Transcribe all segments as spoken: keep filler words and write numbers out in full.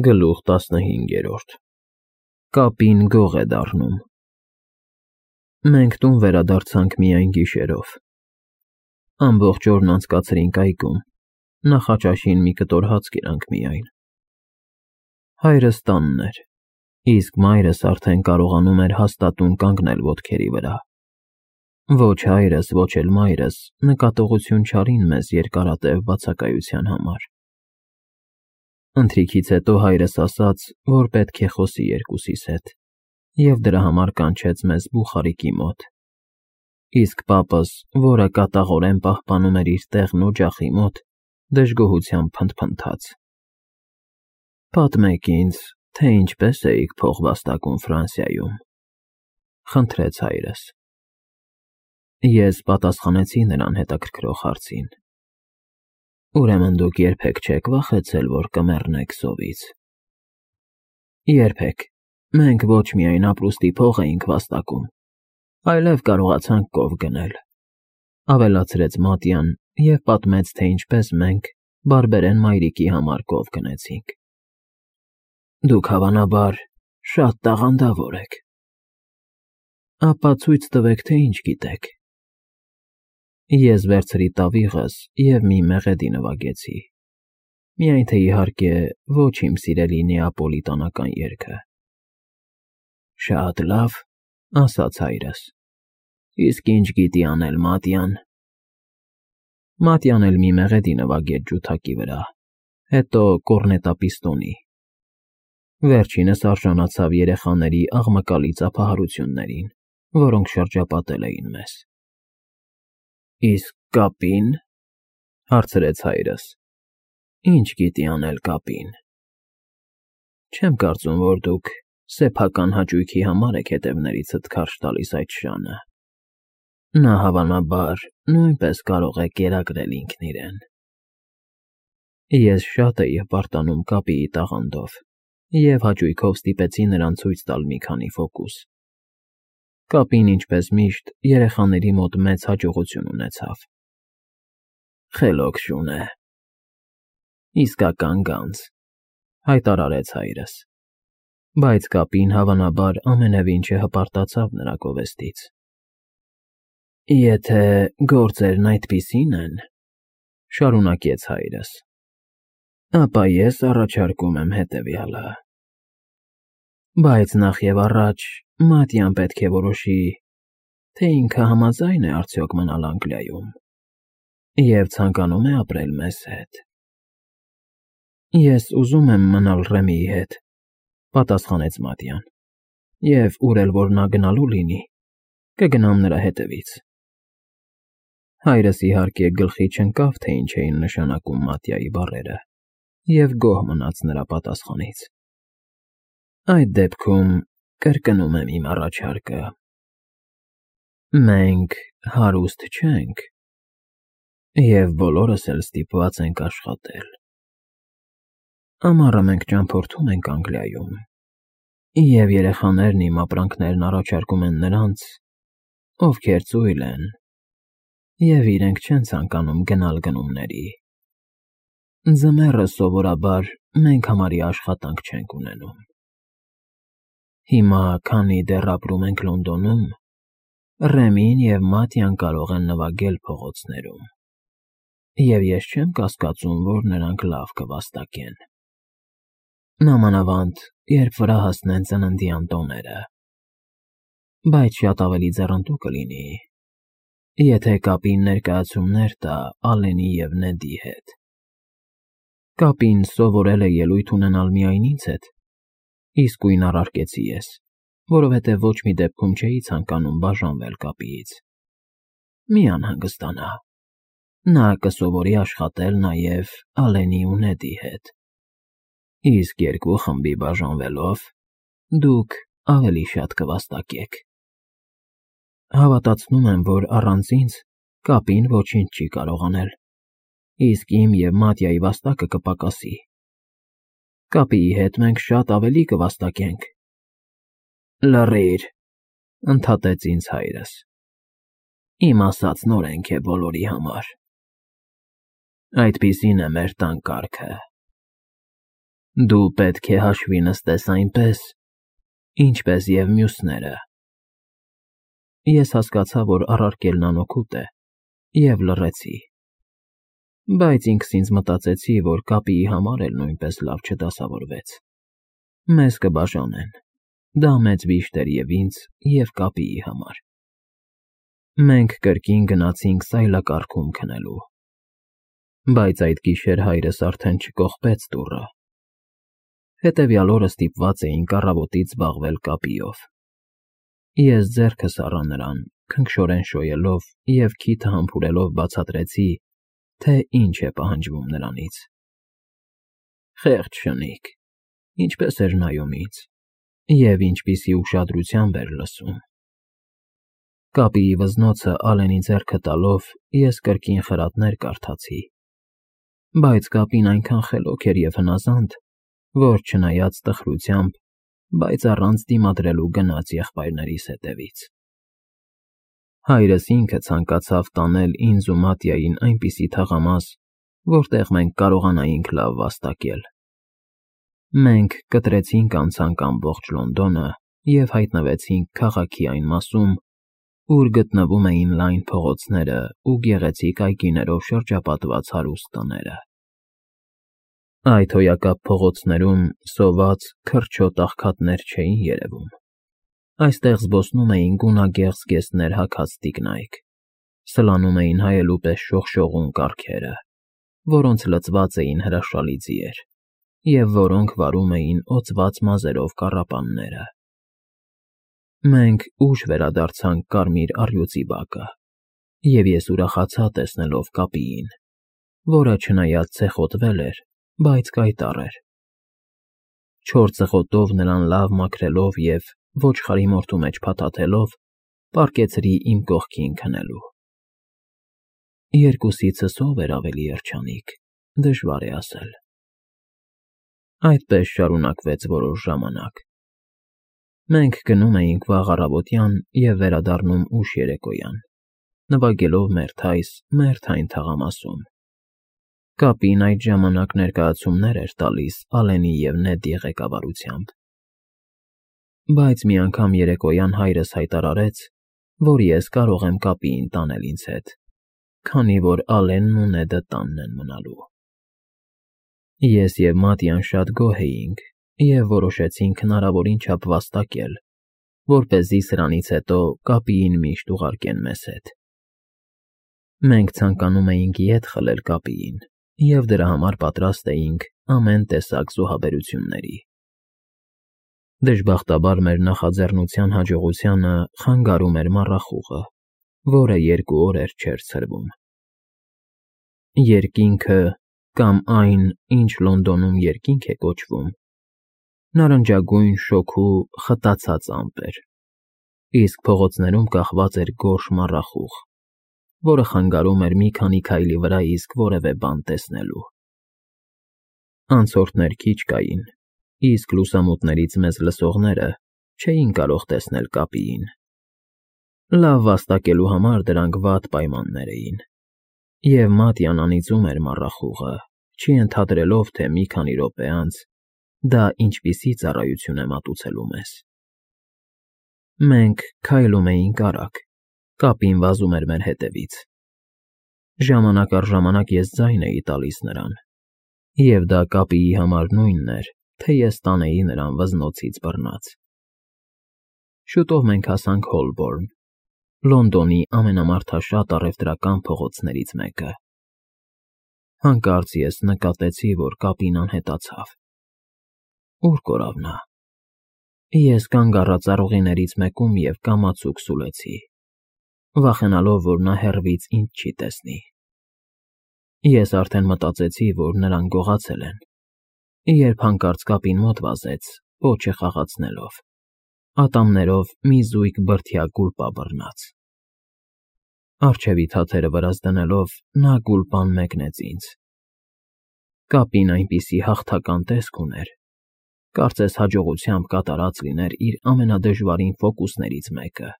Գլուխ տասնհինգերորդ Կապին գող է դառնում։ Մենք տուն վերադարձանք միայն գիշերով։ Ամբողջ օրն անցկացրինք այգում, նախաճաշին մի կտոր հաց կերանք միայն։ Հայրս տանն էր, իսկ մայրս արդեն կարողանում էր հաստատուն կանգնել ոտքերի վրա։ Ոչ հայրս, ոչ էլ մայրս նկատողություն չարին մեզ երկարատև բացակայության համար։ Ընթրիքից հետո հայրս ասաց, որ պետք է խոսի երկուսիս հետ, և դրա համար կանչեց մեզ բուխարիկի մոտ, իսկ պապս, որը կատաղորեն պահպանում էր իր տեղն օջախի մոտ, դժգոհությամբ փնթփնթաց. «Պատմեք ինձ, թե ինչպես էիք փող վաստակում Ֆրանսիայում», խնդրեց հայրս։ Ես պատասխանեցի նրան հետաքրքրող հարցին. «Ուրեմն դուք երբեք չեք վախեցել, որ կմեռնեք սովից»։ Երբեք, մենք ոչ միայն ապրուստի փող էինք վաստակում, այլև կարողացանք կով գնել, ավելացրեց Մատյան և պատմեց, թե ինչպես մենք բարբերեն մայրիկի համար կով գնեցինք։ Դուք հավանաբար շատ տաղանդավոր եք։ Ապա ցույց տվեք, թե ինչ գիտեք։ Ես վերցրի տավիղս և մի մեղեդի նվագեցի, միայն թե իհարկե ոչ իմ սիրելի նեապոլիտանական երգը։ Շատ լավ, ասաց հայրս, իսկ ինչ գիտի անել Մատյան։ Մատյան էլ մի մեղեդի նվագեց ջութակի վրա, հետո կոռնետապիստոնի։ Վերջինս արժանացավ երեխաների աղմկալի ծափահարություններին, որոնք շրջապատել էին մեզ։ Իսկ կապի՞ն, հարցրեց հայրս, ինչ գիտի անել կապին։ Չեմ կարծում, որ դուք սեփական հաճույքի համար եք հետևներիցդ քարշ տալիս այդ շանը։ Նա հավանաբար նույնպես կարող է կերակրել ինքն իրեն։ Ես շատ էի հպարտանում կապիի տաղանդով և հաճույքով ստիպեցի նրան ցույց տալ մի քանի ֆոկուս։ Կապին, ինչպես միշտ, երեխաների մոտ մեծ հաջողություն ունեցավ։ Խելոք շուն է։ Իսկական գանձ, հայտարարեց հայրս, բայց կապին հավանաբար ամենևին չհպարտացավ նրա գովեստից։ Եթե գործերն այդպիսին են, շարունակեց հայրս, ապա ես առաջարկում եմ հետևյալը։ Բայց նախ և առաջ Մատյան պետք է որոշի, թե ինքը համաձայն է արդյոք մնալ Անգլիայում և ցանկանում է ապրել մեզ հետ։ Ես ուզում եմ մնալ Ռեմիի հետ, պատասխանեց Մատյան, և ուր էլ որ նա գնալու լինի, կգնամ նրա հետևից։ Հայրս իհարկե գլխի չընկավ, թե ինչ էին նշանակում Մատյայի բառերը, և գոհ մնաց նրա պատասխանից։ Այդ դեպքում կրկնում եմ իմ առաջարկը։ Մենք հարուստ չենք, և բոլորս էլ ստիպված ենք աշխատել։ Ամառը մենք ճամփորդում ենք Անգլիայում, և երեխաներն իմ ապրանքներն առաջարկում են նրանց, ովքեր ծույլ են, և իրենք չեն ցանկանում գնալ գնումների։ Ձմեռը սովորաբար մենք համարյա աշխատանք չենք ունենում։ Հիմա, քանի դեռ ապրում ենք Լոնդոնում, Ռեմին և Մատյան կարող են նվագել փողոցներում, և ես չեմ կասկածում, որ նրանք լավ կվաստակեն։ Մանավանդ, երբ վրա հասնեն ծննդյան տոները։ Բայց շատ ավելի ձեռնտու կլինի, եթե կապին ներկայացումներ տա Ալենի և Նեդի հետ։ Կապին սովորել է ելույթ ունենալ միայն ինձ հետ, իսկույն առարկեցի ես, որովհետև ոչ մի դեպքում չէի ցանկանում բաժանվել կապիից։ Մի անհանգստանա, նա կսովորի աշխատել նաև Ալենի ու Նեդի հետ, իսկ երկու խմբի բաժանվելով դուք ավելի շատ կվաստակեք։ Հավատացնում եմ, որ առանց ինձ կապին ոչինչ չի կարող անել, իսկ իմ և Մատյայի վաստակը կպակասի։ Կապիի հետ մենք շատ ավելի կվաստակենք։ Լռիր, ընդհատեց ինձ հայրս։ Իմ ասածն օրենք է բոլորի համար։ Այդպիսին է մեր տան կարգը։ Դու պետք է հաշվի նստես այնպես, ինչպես և մյուսները։ Ես հասկացա, որ առարկելն անօգուտ է, և լռեցի, բայց ինքս ինձ մտածեցի, որ կապիի համար էլ նույնպես լավ չդասավորվեց։ Մեզ կբաժանեն, դա մեծ վիշտ էր և ինձ, և կապիի համար։ Մենք կրկին գնացինք սայլակառքում քնելու, բայց այդ գիշեր հայրս արդեն չկողպեց դուռը։ Հետևյալ օրը ստիպված էինք առավոտից զբաղվել կապիով։ Ես ձեռքս առա նրան, քնքշորեն շոյելով և քիթը համբուրելով բացատրեցի, թե ինչ է պահանջվում նրանից։ Խեղճ շնիկ, ինչպես էր նայում ինձ, և ինչպիսի ուշադրությամբ էր լսում։ Կապիի վզնոցը Ալենի ձեռքը տալով ես կրկին խրատներ կարդացի, բայց կապին այնքան խելոք էր և հնազանդ, որ չնայած տխրությամբ, բայց առանց դիմադրելու գնաց եղբայրներիս հետևից։ Հայրս ինքը ցանկացավ տանել ինձ ու Մատյային այնպիսի թաղամաս, որտեղ մենք կարողանայինք լավ վաստակել։ Մենք կտրեցինք անցանք ամբողջ Լոնդոնը և հայտնվեցինք քաղաքի այն մասում, ուր գտնվում էին լայն փողոցները ու գեղեցիկ այգիներով շրջապատված հարուստ տները։ Այդ հոյակապ փողոցներում սոված, քրչոտ աղքատներ չէին երևում։ Այստեղ զբոսնում էին գունագեղ զգեստներ հագած տիկնայք, սլանում էին հայելու պես շողշողուն կառքերը, որոնց լցված էին հրաշալի ձիեր, և որոնք վարում էին օծված մազերով կառապանները։ Մենք ուշ վերադարձանք կարմիր առյուծի բակը, և ես ուրախացա տեսնելով կապիին, որը չնայած ցեխոտվել էր, բայց կայտառ էր։ Չոր ծղոտով նրան լավ մաքրելով և ոչխարի մորթու մեջ փաթաթելով, պառկեցրի իմ կողքին քնելու։ Երկուսիցս ով էր ավելի երջանիկ, դժվար է ասել։ Այդպես շարունակվեց որոշ ժամանակ։ Մենք գնում էինք վաղ առավոտյան և վերադառնում ուշ երեկոյան, նվագելով մերթայս մերթային թաղամասում։ Կապին այդ ժամանակ ներկայացումներ էր տալիս Ալենի և Նեդի ղեկավարությամբ։ Բայց մի անգամ երեկոյան հայրս հայտարարեց, որ ես կարող եմ կապիին տանել ինձ հետ, քանի որ Ալենն ու Նեդը տանն են մնալու։ Ես և Մատյան շատ գոհ էինք և որոշեցինք հնարավորին չափ վաստակել, որպեսզի սրանից հետո կապիին միշտ ուղարկեն մեզ հետ։ Մենք ցանկանում էինք ետ խլել կապիին և դրա համար պատրաստ էինք ամեն տեսակ զոհաբերությունների։ Դժբախտաբար մեր նախաձեռնության հաջողությանը խանգարում էր մառախուղը, որը երկու օրեր չէր ցրվում։ Երկինքը, կամ այն, ինչ Լոնդոնում երկինք է կոչվում, նարնջագույն շոգու խտացած ամպ էր, իսկ փողոցներում կախված էր գորշ մառախուղ, որը խանգարում էր մի քանի քայլի վրա իսկ որևէ բան տեսնելու։ Անցորդներ քիչ կային, իսկ լուսամուտներից մեզ լսողները չէին կարող տեսնել կապիին։ Լավ վաստակելու համար դրանք վատ պայմաններ էին, և Մատյան անիծում էր մառախուղը, չենթադրելով, թե մի քանի րոպե անց դա ինչպիսի ծառայություն է մատուցելու մեզ։ Մենք քայլում էինք արագ, կապին վազում էր մեր հետևից։ Ժամանակ առ ժամանակ ես ձայն էի տալիս նրան, և դա կապիի համար նույնն էր, թե ես տանեի նրան վզնոցից բռնած։ Շուտով մենք հասանք Հոլբորն, Լոնդոնի ամենամարդաշատ առևտրական փողոցներից մեկը։ Հանկարծ ես նկատեցի, որ կապին անհետացավ։ Ուր կորավ նա։ Ես կանգ առա ծառուղիներից մեկում և կամացուկ սուլեցի, վախենալով, որ նա հեռվից ինձ չի տեսնի։ Ես արդեն մտածեցի, որ նրան գողացել են, երբ հանկարծ կապին մոտ վազեց, պոչը խաղացնելով, ատամներով մի զույգ բրդյա գուլպա բռնած։ Առջևի թաթերը վրաս դնելով, նա գուլպան մեկնեց ինձ։ Կապին այնպիսի հաղթական տեսք ուներ, կարծես հաջողությամբ կատարած լիներ իր ամենադժվարին ֆոկուսներից մեկը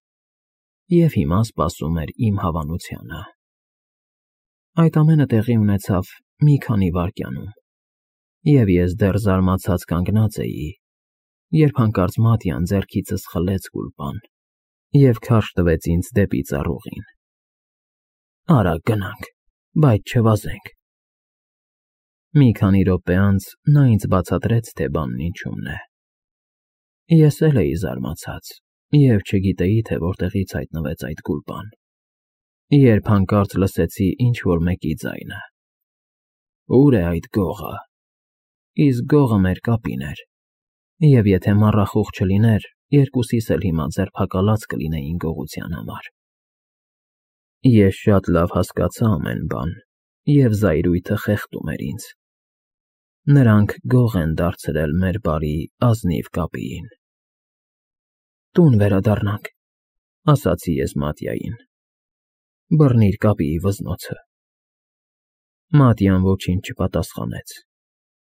և հիմա սպասում էր իմ հավանությանը։ Այդ ամենը տեղի ունեցավ մի քանի վայրկյանում, Եվ ես դեռ զարմացած կանգնած էի, երբ հանկարծ Մատյան ձեռքիցս խլեց գուլպան և քարշ տվեց ինձ դեպի ծառուղին։ Արագ գնանք, բայց չվազենք։ Մի քանի րոպե անց նա ինձ բացատրեց, թե բանն ինչումն է։ Ես էլ էի զարմացած և չգիտեի, թե որտեղից հայտնվեց այդ գուլպան, երբ հանկարծ լսեցի ինչ֊որ մեկի ձայնը. «Ո՞ւր է այդ գողը»։ Իսկ գողը մեր կապին էր, և եթե մառախուղ չլիներ, երկուսիս էլ հիմա ձերբակալած կլինեին գողության համար։ Ես շատ լավ հասկացա ամեն բան, և զայրույթը խեղդում էր ինձ։ Նրանք գող են դարձրել մեր բարի, ազնիվ կապիին։ «Տուն վերադառնանք», ասացի ես Մատյային։ «Բռնիր կապիի վզնոցը»։ Մատյան ոչինչ չպատասխանեց,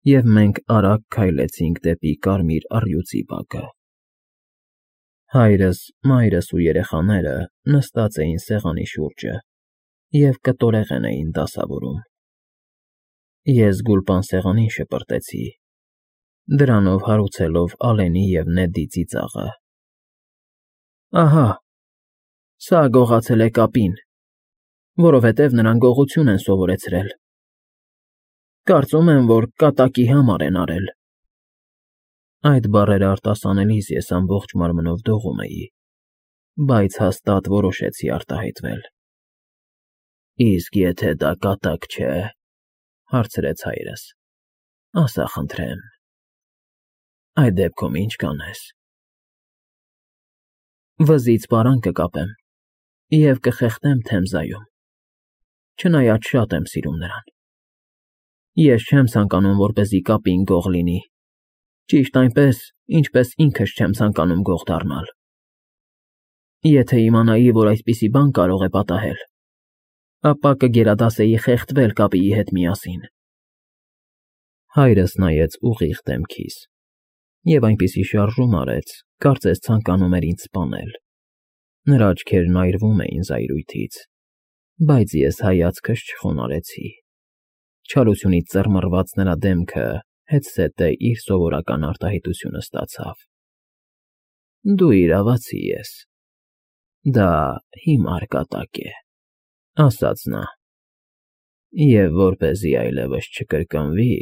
և մենք արագ քայլեցինք դեպի կարմիր առյուծի բակը։ Հայրս, մայրս ու երեխաները նստած էին սեղանի շուրջը և կտորեղեն էին դասավորում։ Ես գուլպան սեղանին շպրտեցի, դրանով հարուցելով Ալենի և Նեդի ծիծաղը։ «Ահա, սա գողացել է կապին, որովհետև նրան գողություն են սովորեցրել։ Կարծում եմ, որ կատակի համար են արել»։ Այդ բառերը արտասանելիս ես ամբողջ մարմնով դողում էի, բայց հաստատ որոշեցի արտահայտվել։ «Իսկ եթե դա կատակ չէ», հարցրեց հայրս, «ասա խնդրեմ, այդ դեպքում ի՞նչ կանես»։ «Վզից պարան կկապեմ և կխեղդեմ Թեմզայում, չնայած շատ եմ սիրում նրան։ Ես չեմ ցանկանում, որպեսզի կապին գող լինի, ճիշտ այնպես, ինչպես ինքս չեմ ցանկանում գող դառնալ։ Եթե իմանայի, որ այդպիսի բան կարող է պատահել, ապա կգերադասեի խեղդվել կապիի հետ միասին»։ Հայրս նայեց ուղիղ դեմքիս և այնպիսի շարժում արեց, կարծես ցանկանում էր ինձ սպանել։ Նրա աչքերն այրվում էին զայրույթից, բայց ես հայացքս չխոնարհեցի։ Չարությունից ծռմռված նրա դեմքը հետզհետե իր սովորական արտահայտությունը ստացավ։ «Դու իրավացի ես, դա հիմար կատակ է», ասաց նա, «և որպեսզի այլևս չկրկնվի,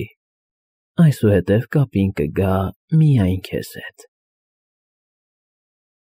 այսուհետև կապին կգա միայն քեզ հետ»։